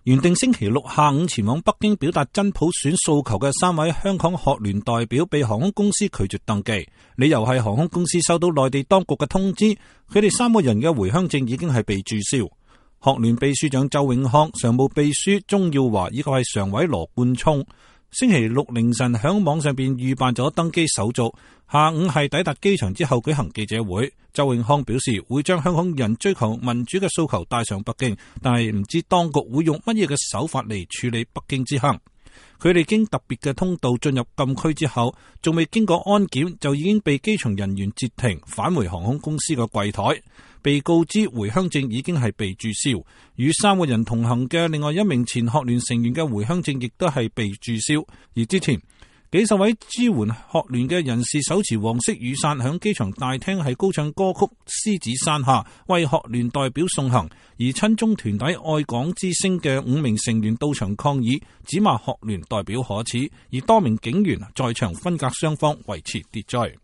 原定星期六下午前往北京表達真普選訴求嘅3位香港學聯代表被航空公司拒絕登記，理由係航空公司收到內地當局嘅通知，佢哋3個人嘅回鄉證已經係被註銷。學聯秘書長周永康、常務秘書鍾耀華以及係常委羅冠聰，星期六凌晨響網上邊預辦咗登機手續，下午係抵達機場之後舉行記者會。周永康表示會將香港人追求民主嘅訴求帶上北京，但係唔知當局會用乜嘢嘅手法嚟處理北京之行。佢哋經特別嘅通道進入禁區之後，仲未經過安檢就已經被機場人員截停，返回航空公司嘅櫃台。被告知回鄉證已經係被註銷，與3個人同行嘅另外1名前學聯成員嘅回鄉證亦都係被註銷。而之前幾十位支援學聯嘅人士手持黃色雨傘響機場大廳係高唱歌曲《獅子山下》，為學聯代表送行。而親中團體愛港之聲嘅5名成員到場抗議，指罵學聯代表可恥，而多名警員在場分隔雙方維持秩序。